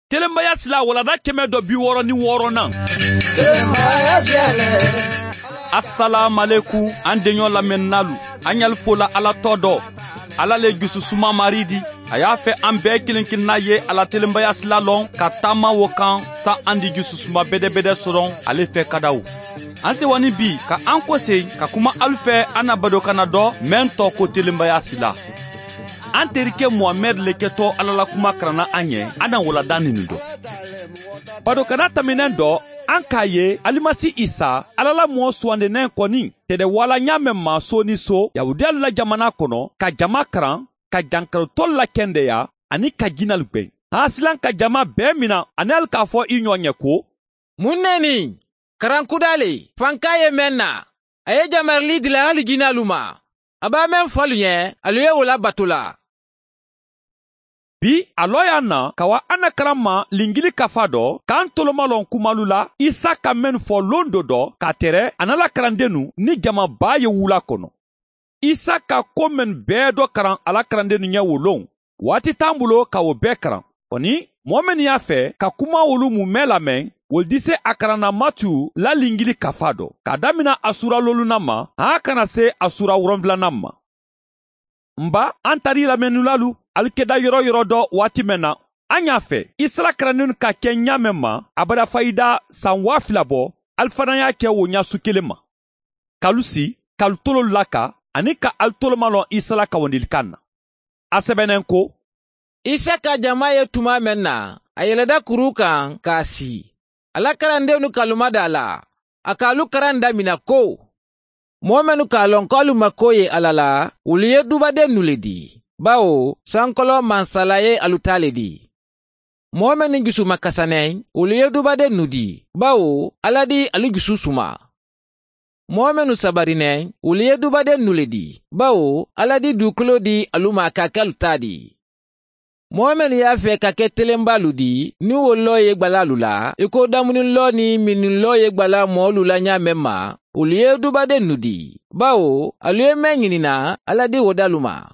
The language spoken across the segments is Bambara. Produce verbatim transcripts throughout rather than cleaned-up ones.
Telenbaya sila walada kɛmɛ dɔ bi wɔɔrɔ ni wɔɔrɔnan. Assalamu an denɲɔ lamɛnnalu, an y'al fola Ala tɔ dɔ. Ala le jususuma mari di. A y'a fɛ an bɛɛ kelen kelenna ye ala telenbaya sila lɔn ka taama wo kan sa an di jususuma bɛdɛbɛdɛ sɔrɔ ale fɛ kadaw. An sewani bi ka an kɔsen ka kuma alu fɛ an na badokana dɔ mɛn tɔ ko telenbaya sila. An terikɛ Muhamɛd le kɛtɔ Ala la kuma karanna an ɲɛ, an na waladan nin dɔ. Badokana taminɛn dɔ, an k'a ye Alimasi Isa, Ala la mɔɔ suwandenen kɔni, tɛdɛ wala ɲa mɛn ma so ni so, Yahudiyalu la jamana kɔnɔ, ka jama karan, ka jankarotɔlu la kɛndɛya, ani ka jinalu gwɛn. An silan ka jama bɛɛ mina, ani hali k'a fɔ i ɲɔgɔn ɲɛ ko, mun ne nin? Karankuda le, fanka ye mɛn na. A ye jamarili dila hali jinalu ma. A b'a mɛn fɔlu ɲɛ, alu ye o labato la. Bi a lɔ y'a na ka wa an na karan ma lingili kafa dɔ k'an tolomalɔn kumalu la Isa ka mɛn fɔ lon dɔ dɔ ka tɛrɛ a n'a la karandennu ni jamaba ye wula kɔnɔ. Isa ka ko mɛn bɛɛ dɔ karan a la karandennu ɲɛ wo lon. Waati t'an bolo ka o bɛɛ karan. Kɔni mɔɔ minnu y'a fɛ ka kuma olu mumɛ lamɛn, wolu di se a karanna Matiyu la lingili kafa dɔ k'a damina a sura loluna ma han kana se a sura wolonfilanan ma. Nba an tari lamɛnnulalu alu kɛda yɔrɔ yɔrɔ dɔ waati mɛn na. An y'a fɛ Isra karandennu ka kɛ ɲa mɛn ma a bara fayida san waa fila bɔ, alu fana y'a kɛ o ɲasu kelen ma. K'alu si, k'alu tolo laka, ani ka alu tolomalɔn Isa la kawandilikan na. A sɛbɛnnen ko, Isa ka jama ye tuma mɛn na, a yɛlɛda kuru kan k'a si. A la karandennu kaluma da la, a k'alu karan damina ko, mɔɔ minnu k'a lɔn k'alu mako ye Ala la, olu ye dubadennu le di. Bawo sankɔlɔ mansala ye alu ta le di. Mɔɔ minnu jusu makasanɛ, olu ye dubadennu di. Bawo Ala di alu jusu suma. Mɔɔ minnu sabarinɛ, olu ye dubadennu le di. Bawo Ala di dugukolo di alu ma ka kɛ alu ta di. Mɔɔ minnu y'a fɛ ka kɛ telenbalu di, ni o lɔ ye gbalalu la, i ko damunilɔ ni minilɔ ye gbala mɔɔlu la ɲa mɛn ma, olu ye dubadennu di. Bawo alu ye mɛn ɲinina, Ala di o dalu ma.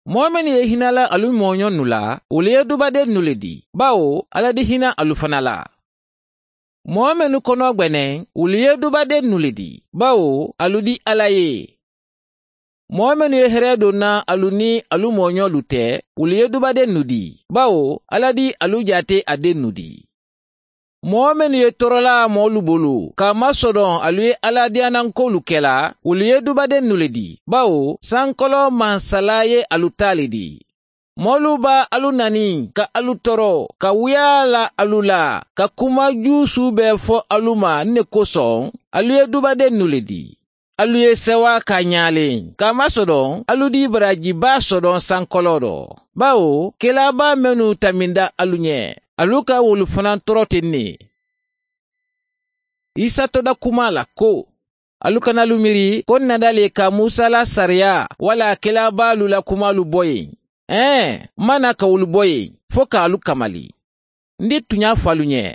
Mɔɔ minnu ye hinɛ la alu mɔɲɔnu la, olu ye dubadennu le di. Bawo Ala di hinɛ alu fana la. Mɔɔ minnu kɔnɔ gwɛnɛ, olu ye dubadennu le di. Bawo alu di Ala ye. Mɔɔ minnu ye hɛrɛ donna alu ni alu mɔɲɔlu tɛ, olu ye dubadennu di. Bawo Ala di alu jate a dennu di. Mɔɔ minnu ye tɔɔrɔla mɔɔlu bolo, k'a masɔrɔ alu ye Ala diyanankolu kɛla, olu ye dubadennu le di. Bawo sankɔlɔ mansala ye alu ta le di. Mɔɔlu b'a alu nani ka alu tɔɔrɔ, ka wuya la alu la, ka kuma jusu bɛɛ fɔ alu ma ne kosɔn, alu ye dubadennu le di. Alu ye sɛwa ka ɲalen, k'a masɔrɔ alu di barajiba sɔrɔ sankɔlɔ dɔ. Bawo kelaba minnu taminda alu ɲɛ, alu ka wolu fana tɔɔrɔ ten ne. Isa tɔda kuma la ko, alu kana alu miiri ko nada le ka Musa la sariya wala kelabalu la kumalu bɔ yen. Ɛɛ, mana ka wolu bɔ yen fo k'alu kamali. N di tun y'a fɔ alu ɲɛ,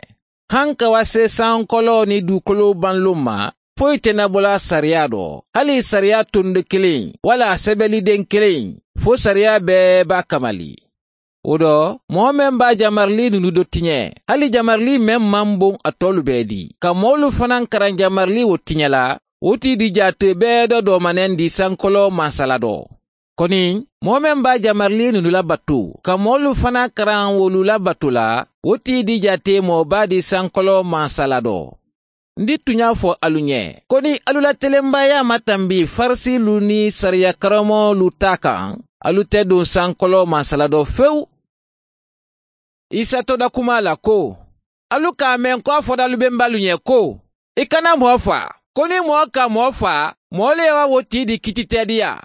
han ka wa se sankɔlɔ ni dugukolo banlo ma, foyi tɛna bɔla sariya dɔ, hali sariya tondo kelen wala sɛbɛliden kelen, fo sariya bɛɛ b'a kamali. O dɔ, mɔɔ mɛn b'a jamarili ninnu dɔ tiɲɛ, hali jamarili mɛn man bon a tɔlu bɛɛ di. Ka mɔɔlu fana karan jamarili o tiɲɛ la, o t'i di jate bɛɛ dɔ dɔmanɛn di sankɔlɔ mansala dɔ. Kɔni, mɔɔ mɛn b'a jamarili ninnu labato, ka mɔɔlu fana karan wolu labato la, o t'i di jate mɔɔba di sankɔlɔ mansala dɔ. N di tun y'a fɔ alu ɲɛ, ko ni alu la telenbaya ma tanbi farisilu ni sariya karamɔgɔlu ta kan, alu tɛ don sankɔlɔ mansala dɔ fewu. Isa tɔda kuma la ko, alu k'a mɛn ko a fɔra alu bɛnbalu ɲɛ ko, i kana mɔɔ fa, ko ni mɔɔ ka mɔɔ fa, mɔɔ le wa wo t'i di kiti tɛ di ya.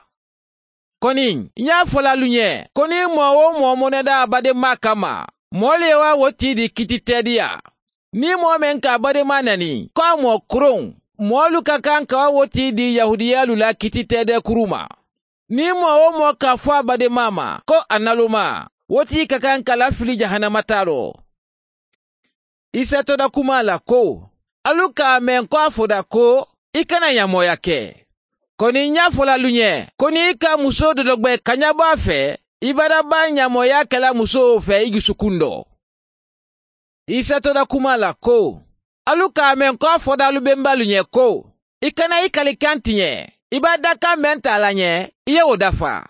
Kɔni, n y'a fɔla alu ɲɛ, ko ni mɔɔ o mɔɔ mɔnɛda a badenma kama, mɔɔ le wa wo t'i di kiti tɛ di ya. Ni mɔɔ mɛn ka badenma nani, ko a mɔɔ koron, mɔɔlu ka kan ka wo t'i di Yahudiyalu la kiti tɛ dɛ kuru ma. Ni mɔɔ o mɔɔ k'a fɔ a badenma ma, ko a naloma, wo t'i ka kan ka lafili jahanama ta rɔ. Isa tɔda kuma la ko, alu k'a mɛn ko a fɔda ko, i kana ɲamɔya kɛ. Kɔni n y'a fɔla alu ɲɛ, ko n'i ka muso dɔ dɔgbɛ ka ɲɛbɔ a fɛ, i bara ba ɲamɔya kɛla musow fɛ i dusukun dɔ. Isa tora kuma la ko, alu k'a mɛn ko a fɔda alu bɛnbalu ɲɛ ko, i kana i kalikan tiɲɛ, i b'a dakan mɛn ta la ɲɛ, i ye o dafa.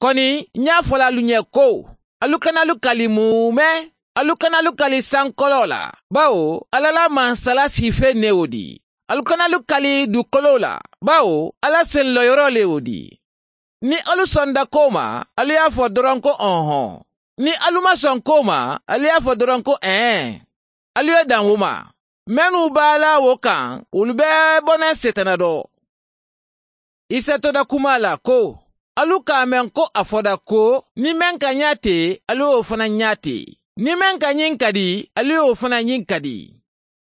Kɔni, n y'a fɔla alu ɲɛ ko, alu kana alu kali mumɛ, alu kana alu kali sankɔlɔ la, bawo Ala la mansala sife ne o di. Alu kana alu kali dukolo la, bawo Ala senlɔyɔrɔ le o di. Ni alu sɔnda ko ma, alu y'a fɔ dɔrɔn ko ɔnhɔn. Ni alu ma sɔn ko ma, alu y'a fɔ dɔrɔn ko ɛn. Alu ye dan o ma. Minnu b'a la o kan, olu bɛɛ bɔnɛ setana dɔ. Isa tora kuma la ko, alu k'a mɛn ko a fɔda ko, ni mɛn ka ɲa ten, alu y'o fana ɲa ten. Ni mɛn ka ɲin ka di, alu y'o fana ɲin ka di.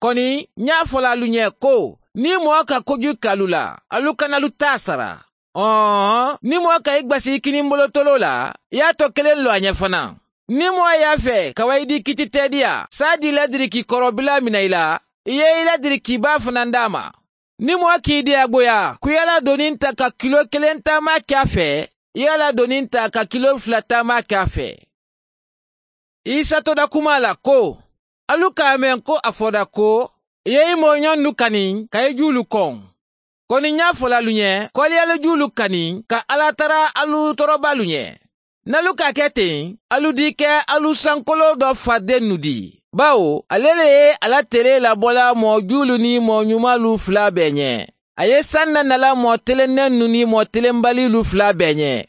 Kɔni, n y'a fɔla alu ɲɛ ko, ni mɔgɔ ka kojugu k'alu la, alu kana alu ta sara. Ɔhɔn, ni mɔgɔ ka i gbasi i kininbolotolo la, i y'a tɔ kelen lɔ a ɲɛ fana. Ni mɔgɔ y'a fɛ ka wa i di kiti tɛdiya, saa di ladiriki kɔrɔbila minɛ i la, i ye i ladirikiba fana d'a ma. Ni mɔgɔ k'i diyagoya, ko i y'a doni ta ka kilo kelen taama kɛ a fɛ, i y'a doni ta ka kilo fila taama kɛ a fɛ. Isa tora kuma la ko, alu k'a mɛn ko a fɔda ko, i ye i mɔɲɔnnu kani ka i julu kɔn. Kɔni n y'a fɔla alu ɲɛ, ko alu y'alu julu kani ka Ala tara alu tɔɔrɔbalu ɲɛ. N'alu k'a kɛ ten, alu di kɛ alu sankolo dɔ faden nu di. Bawo, ale le ye ala tere labɔla mɔɔ julu ni mɔɔ ɲumanlu fila bɛɛ ɲɛ. A ye san nanala mɔɔ telennen nu ni mɔɔ telenbalilu fila bɛɛ ɲɛ.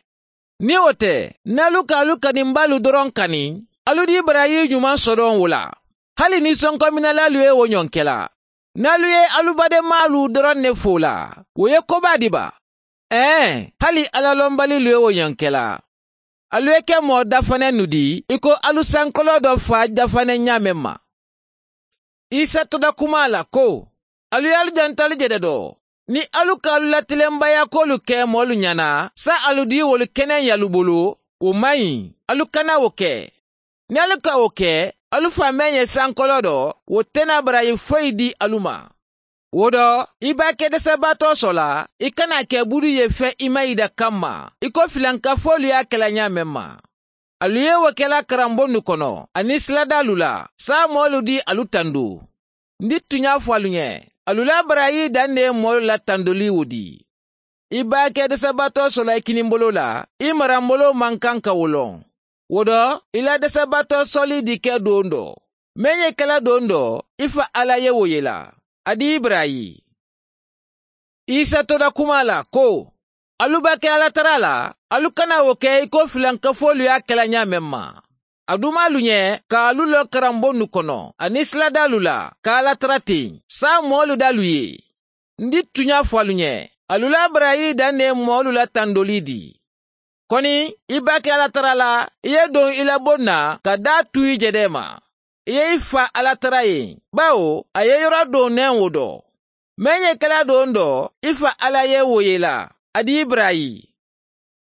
Ni o tɛ, n'alu k'alu kaninbalu dɔrɔn kani, alu di barayi ɲuman sɔrɔ o la. Hali ni sɔnkɔminalalu ye o ɲɔnkɛla. N'alu ye alu badenmalu dɔrɔn ne fo la, o ye koba di ba. Ɛɛ, hali alalɔnbalilu ye o ɲɔnkɛla. Alu ye kɛ mɔɔ dafanɛ nu di, i ko alu sankɔlɔ dɔ fa dafanɛ ɲa mɛn ma. Isa tora kuma la ko, alu y'alu janto jɛdɛ dɔ. Ni alu k'alu latilenbaya k'olu kɛ mɔɔlu ɲɛna, sa alu di wolu kɛnɛ y'alu bolo, o man ɲi, alu kana o kɛ. Ni alu ka o kɛ, alu fa mɛn ye sankɔlɔ dɔ, o tɛna barayi foyi di alu ma. O dɔ, i b'a kɛ dɛsɛbaatɔ sɔ la, i kana kɛ buru ye fɛn i ma yi da kan ma, i ko filankafolu y'a kɛla ɲa mɛn ma. Alu ye o kɛla karanbonnu kɔnɔ, ani siladalu la, sa mɔɔlu di alu tando. Ni tun y'a fɔ alu ɲɛ, alu la barayi dan de ye mɔɔlu la tandoli o di. I b'a kɛ dɛsɛbaatɔ sɔ la i kininbolo la, i maranbolo man kan ka o lɔn. O dɔ, i la dɛsɛbaatɔ sɔli di kɛ don dɔ. Mɛn ye kɛla don dɔ, i fa Ala ye o ye la. A di Ibrahi. Isa tora kuma la ko, alu b'a kɛ Ala tara la, alu kana o kɛ i ko filankafolu y'a kɛla ɲa mɛn ma. A dun m'alu ɲɛ k'alu lɔ karanbonnu kɔnɔ, ani siladalu la, k'Ala tara ten, sa mɔɔlu d'alu ye. N di tun y'a fɔ alu ɲɛ, alu la barayi dan de ye mɔɔlu la tandoli di. Kɔni, i b'a kɛ Ala tara la, i ye don i la bon na ka da tu i jɛdɛ ma. I ye i fa Ala tara ye, bawo a ye yɔrɔ don nɛn o dɔ. Mɛn ye kɛla don dɔ, i fa Ala ye o ye la, a di Ibrahi.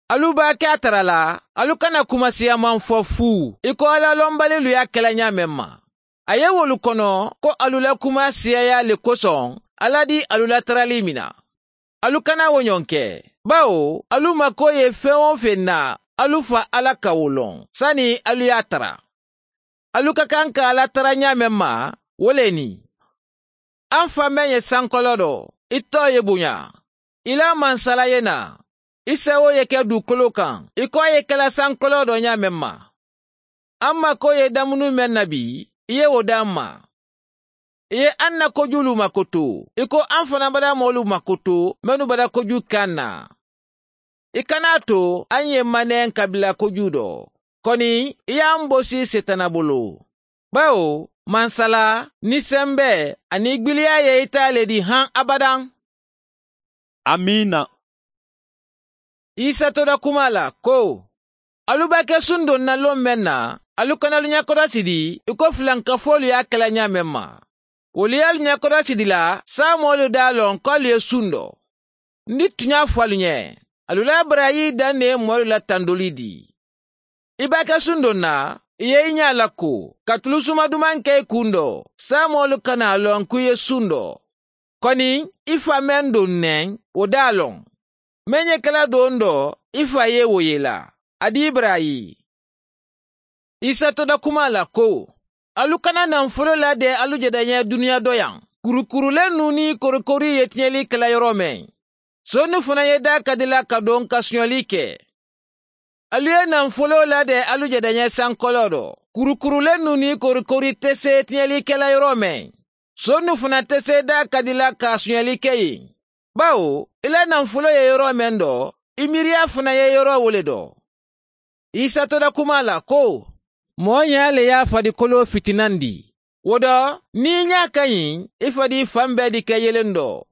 Alu b'a kɛ a tara la, alu kana kuma siyaman fɔ fu, i ko Ala lɔnbalilu y'a kɛla ɲa mɛn ma. A ye wolu kɔnɔ ko alu la kuma siyaya le kosɔn, Ala di alu la tarali mina. Alu kana o ɲɔgɔn kɛ, bawo alu mako ye fɛn o fɛn na, alu fa Ala ka o lɔn, sani alu y'a tara. Alu ka kan ka Ala tara ɲa mɛn ma, o le nin. An fa mɛn ye sankɔlɔ dɔ, i tɔ ye bonya. I la mansala ye na, i sago ye kɛ dugukolo kan, i ko a ye kɛla sankɔlɔ dɔ ɲa mɛn ma. An mako ye dumuni mɛn na bi, i ye o d'an ma. I ye an na kojulu makoto, i ko an fana bada mɔɔlu makoto, mɛnnu bada koju kan na. I kana to an ye manɛ kabila koju dɔ. Kɔni, i y'an bosi setana bolo. Bawo, mansala, ni sɛnbɛ, ani gbiliya ye i ta le di han abadan. Amina. Isa tora kuma la ko, alu b'a kɛ sun don na lon mɛn na, alu kana alu ɲɛkɔrɔsi di, i ko filankafolu y'a kɛla ɲa mɛn ma. Olu y'alu ɲɛkɔrɔsi di la, sa mɔɔlu d'a lɔn k'alu ye sun dɔ. Ni tun y'a fɔ alu ɲɛ, alu la barayi dan de ye mɔɔlu la tandoli di. I b'a kɛ sun don na, i ye i ɲɛ la ko, ka tulu suma duman kɛ i kun dɔ, sa mɔɔlu kana a lɔn k'i ye sun dɔ. Kɔni, i fa mɛn don nɛn, o d'a lɔn. Mɛn ye kɛla don dɔ, i fa ye o ye la. A di Ibrahi. Isa tora kuma la ko, Alu kana nanfolo ladɛ alu jɛdɛ ɲɛ duniya dɔ yan. Kurukurulen nu ni korikori ye tiɲɛli kɛla yɔrɔ mɛn. Sonu fana ye da ka di la ka don ka sonyali kɛ. Alu ye nanfolo ladɛ alu jɛdɛ ɲɛ sankɔlɔ dɔ. Kurukurulen nu ni korikori tɛ se tiɲɛli kɛla yɔrɔ mɛn. Sonu fana tɛ se da ka di la ka sonyali kɛ yen. Bawo, i la nanfolo ye yɔrɔ mɛn dɔ, i miiriya fana ye yɔrɔ wole dɔ. Isa tora kuma la ko, mɔɔ ɲa le y'a farikolo fitinan di. O dɔ, n'i ɲa ka ɲi, i fadi fan bɛɛ di kɛ yelen dɔ.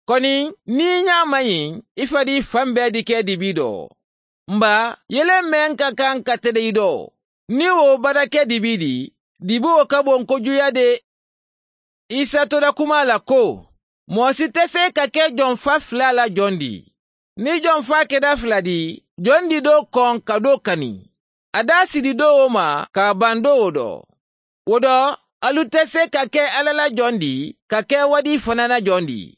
Kɔni, n'i ɲa man ɲi, i fadi fan bɛɛ di kɛ dibi dɔ. Nba, yelen mɛn ka kan ka tɛdɛ i dɔ. Ni o bada kɛ dibi di, dibi o ka bon kojuya de. Isa tora kuma la ko, mɔɔ si tɛ se ka kɛ jɔnfa fila la jɔn di. Ni jɔnfa kɛra fila di, jɔn di dɔ kɔn ka dɔ kani. A da sidi dɔw ma k'a ban dɔw dɔ. O dɔ, alu tɛ se ka kɛ Ala la jɔn di, ka kɛ wadi fana na jɔn di.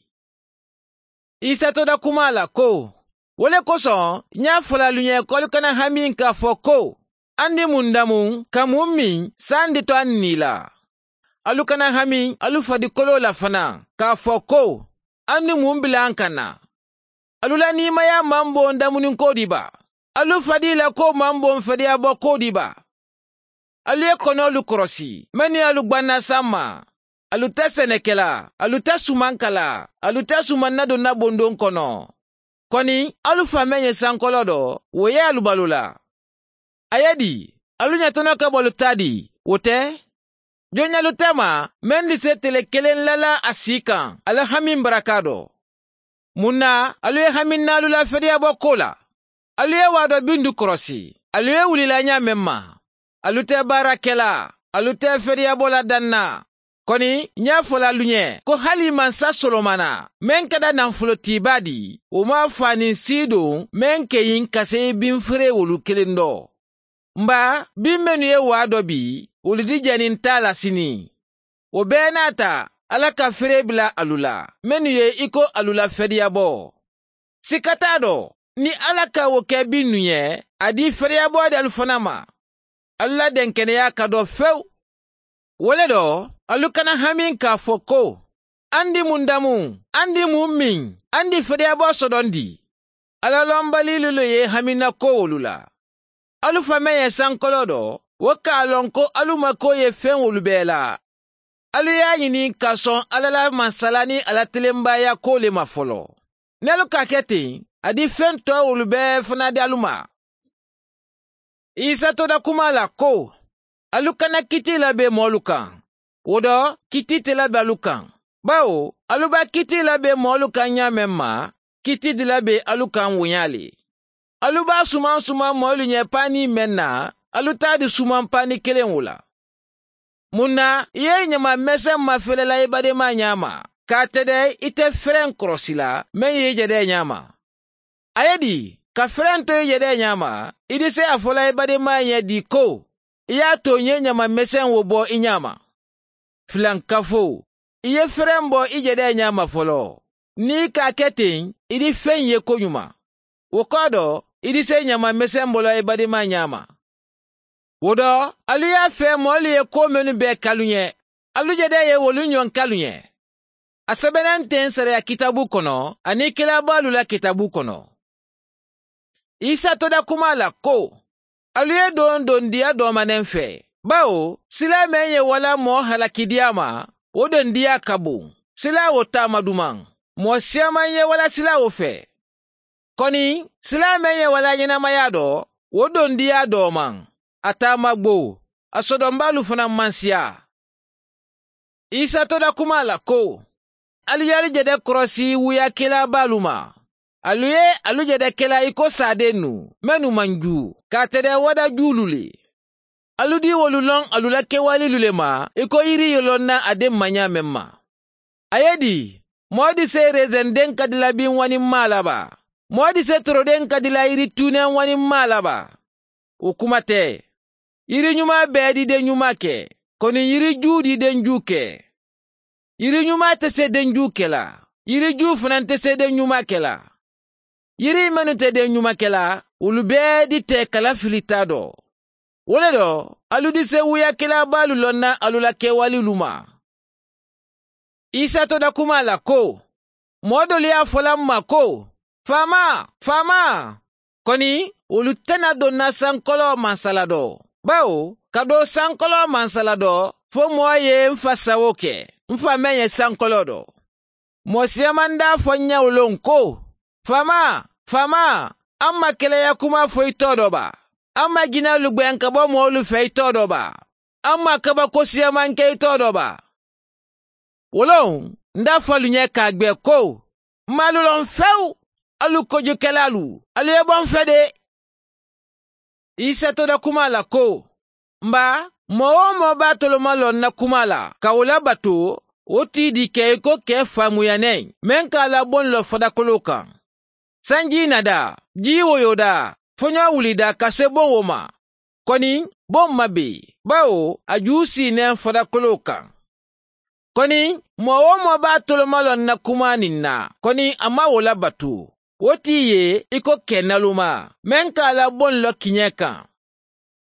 Isa tora kuma la ko, o le kosɔn n y'a fɔla alu ɲɛ k'alu kana hami k'a fɔ ko, an di mun damu, ka mun min, san di to an ni la. Alu kana hami alu farikolo la fana, k'a fɔ ko, an di mun bila an kan na. Alu la nimaya man bon damuni ko di ba. Alu fadi la ko man bon fadiya bɔ ko di ba. Alu ye kɔnɔlu kɔrɔsi, mɛ ni alu gbanna san ma. Alu tɛ sɛnɛkɛla, alu tɛ suman kala, alu tɛ suman nadonna bondon kɔnɔ. Kɔni, alu fa mɛn ye sankɔlɔ dɔ, o ye alu balo la. A ye di, alu ɲɛtɔnɔ ka bɔlu ta di, o tɛ? Jɔnyalu tɛ ma, mɛn di se tele kelen lala a si kan, ala hami baraka dɔ. Mun na, alu ye hami n'alu la fɛdiya bɔ ko la. Alu ye wa dɔ bindu kɔrɔsi, alu ye wulila ɲa mɛn ma. Alu tɛ baara kɛla, alu tɛ fɛdiya bɔ la dan na. Kɔni, n y'a fɔla alu ɲɛ ko hali mansa Solomana, mɛn kɛra nafolotiba di, o ma fa ni si don, mɛn kɛyin ka se binfere wolu kelen dɔ. Nba, bin minnu ye waa dɔ bi, olu di jɛni t'a la sini. O bɛɛ n'a ta, Ala ka feere bila alu la, minnu ye i ko alu la fɛdiya bɔ. Sika t'a dɔ, ni Ala ka o kɛ bin nu ye, a di fɛdiya bɔ di alu fana ma. Alu la dɛnkɛnɛya ka dɔ fewu. O le dɔ, alu kana hami k'a fɔ ko, an di mun damu, an di mun min, an di fɛdiya bɔ sɔdɔn di. Ala lɔnbali lulu ye hamina ko olu la. Alu fa mɛn ye sankɔlɔ dɔ, o k'a lɔn ko alu mako ye fɛn olu bɛɛ la. Alu y'a ɲini ka sɔn Ala la masala ni Ala tilenbaya ko le ma fɔlɔ. Ni alu k'a kɛ ten, a di fɛn tɔ olu bɛɛ fana di alu ma. Isa tora kuma la ko, alu kana kiti labɛn mɔɔlu kan. O dɔ, kiti tɛ labɛn alu kan. Bawo, alu b'a kiti labɛn mɔɔlu kan ɲa mɛn ma, kiti di labɛn alu kan wonya le. Alu b'a suman suman mɔɔlu ɲɛ pani mɛn na, alu t'a di suman pani kelen o la. Mun na, i ye ɲama mɛsɛn mafɛlɛla i badenma ɲa ma, k'a tɛ dɛ i tɛ fɛrɛn kɔrɔsi la, mɛn ye i jɛdɛ ɲa ma. A ye di, ka fɛrɛn to i jɛdɛ ɲa ma, i di se a fɔla i badenma ɲɛ di ko, i y'a to n ye ɲama mɛsɛn wo bɔ i ɲa ma. Filankafo, i ye fɛrɛn bɔ i jɛdɛ ɲa ma fɔlɔ. N'i k'a kɛ ten, i di fɛn ye koɲuman. O kɔ dɔ, i di se ɲama mɛsɛn bɔla i badenma ɲa ma. O dɔ, alu y'a fɛ mɔɔlu ye ko minnu bɛɛ kalu ɲɛ, alu jɛdɛ ye wolu ɲɔgɔn kalu ɲɛ. A sɛbɛnnen tɛ sariya kitabu kɔnɔ, ani kilabalu la kitabu kɔnɔ. Isa tora kuma la ko, alu ye don dondiya dɔmanen fɛ. Bawo, sila mɛn ye wala mɔɔ halakidiya ma, o dondiya ka bon. Sila o taama duman. Mɔɔ siyaman ye wala sila o fɛ. Kɔni, sila mɛn ye wala ɲɛnamaya dɔ, o dondiya dɔman. A taama gbo, a sɔdɔnbalu fana man siya. Isa tora kuma la ko, alu y'alu jɛdɛ kɔrɔsi wuyakɛlabalu ma. Alu ye alu jɛdɛ kɛla i ko saden nu, mɛnu man ju, k'a tɛdɛ wada julu le. Alu di wolu lɔn alu la kɛwale le ma, i ko yiri ye lɔn na a den maɲa mɛn ma. A ye di, mɔɔ di se rezɛnden ka di la bin wani ma la ba. Mɔɔ di se toroden ka di la yiri tunen wani ma la ba. O kuma tɛ. Yiri ɲuman bɛɛ di den ɲuman kɛ, kɔni yiri ju di den ju kɛ. Yiri ɲuman tɛ se den ju kɛ la, yiri ju fana tɛ se den ɲuman kɛ la. Yiri minnu tɛ den ɲuman kɛ la, olu bɛɛ di tɛ kala filita dɔ. Wo le dɔ, alu di se wuyakɛlabalu lɔnna alu la kɛwalelu ma. Isa to da kuma la ko, mɔɔ dolu y'a fɔla n ma ko, faama, faama, kɔni olu tɛna donna sankɔlɔ mansala dɔ. Bawo, ka don sankɔlɔ mansala dɔ, fo mɔɔ ye n fa sago kɛ, n fa mɛn ye sankɔlɔ dɔ. Mɔɔ siyaman d'a fɔ n ɲɛ o lon ko, faama, faama, an ma kɛlɛya kuma fɔ i tɔ dɔ ba. An ma jinɛlu gwɛn ka bɔ mɔɔlu fɛ i tɔ dɔ ba. An ma kabako siyaman kɛ i tɔ dɔ ba. Wolon, n d'a fɔ alu ɲɛ k'a gbɛ ko, n m'alu lɔn fewu, alu kojukɛlalu, alu ye bɔ n fɛ de. Isa to da kuma la ko, nba, mɔɔ o mɔɔ b'a toloma lɔn na kuma la, ka o labato, o t'i di kɛ i ko kɛ faamuyanɛ, mɛn k'a labɔn lɔ fadakolo kan. Sanji nada, ji woyoda, fɔɲɔ wulida ka se bon o ma. Kɔni, bon ma be, bawo a ju sinnen fadakolo kan. Kɔni, mɔɔ o mɔɔ b'a toloma lɔn na kuma nin na, kɔni a ma o labato. O t'i ye i ko kɛ naloma, mɛn k'a labɔn lɔ kiɲɛ kan.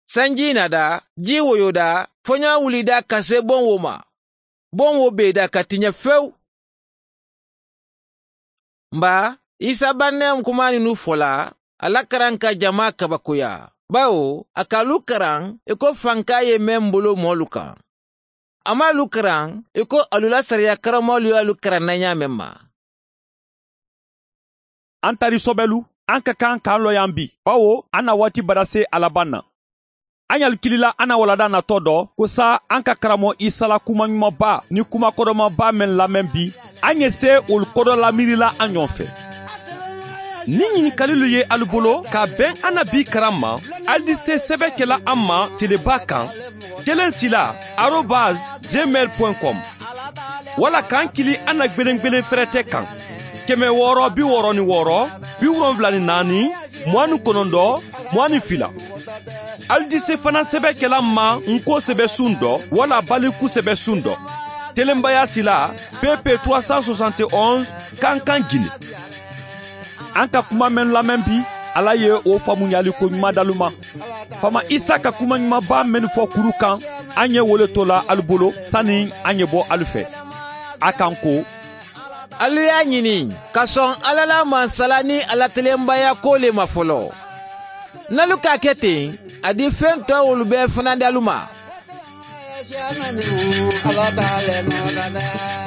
Sanji nada, ji woyoda, fɔɲɔ wulida ka se bon o ma. Bon wo beda ka tiɲɛ fewu. Nba, Isa bannɛ kuma ninu fɔla, ala karan ka jama kabakoya. Bawo, a k'alu karan i ko fanka ye mɛn bolo mɔɔlu kan. A m'alu karan i ko alu la sariya karamɔgɔlu y'alu karan na ɲa mɛn ma. An tari sɔbɛlu, an ka kan k'an lɔ yan bi, bawo an na waati bara se a laban na. An y'alu kilila an na walada natɔ dɔ, ko sa an ka karamɔgɔ Isa la kuma ɲumanba ni kuma kɔdɔmaba mɛn lamɛn bi, an ye se olu kɔdɔ lamiirila an ɲɔgɔn fɛ. Ni ɲininkalilu ye alu bolo ka bɛn an na bi karan ma, alu di se sɛbɛ kɛla an ma teleba kan, kelen sila arobase gmail point com, wala k'an kili an na gwelen-gwelen fɛrɛtɛ kan, kɛmɛ wɔɔrɔ bi wɔɔrɔ ni wɔɔrɔ, bi wolonfila ni naani, mugan ni kɔnɔntɔn, mugan ni fila. Alu di se fana sɛbɛ kɛla ma nko sɛbɛ sun dɔ, wala baliku sɛbɛ sun dɔ. Telenbaya sila P P trois cent soixante et onze Kankan Guinée. An ka kuma mɛn lamɛn bi, Ala ye o faamuyali ko ɲuman d'alu ma. Fama Isa ka kuma ɲumanba mɛn fɔ kuru kan, an ye wele to la alu bolo sani an ye bɔ alu fɛ. A kan ko, alu y'a ɲini ka sɔn Ala la mansala ni Ala tilenbaya ko le ma fɔlɔ. N'alu k'a kɛ ten, a di fɛn tɔ olu bɛɛ fana d'alu ma. Ala t'ale mɔ la dɛ.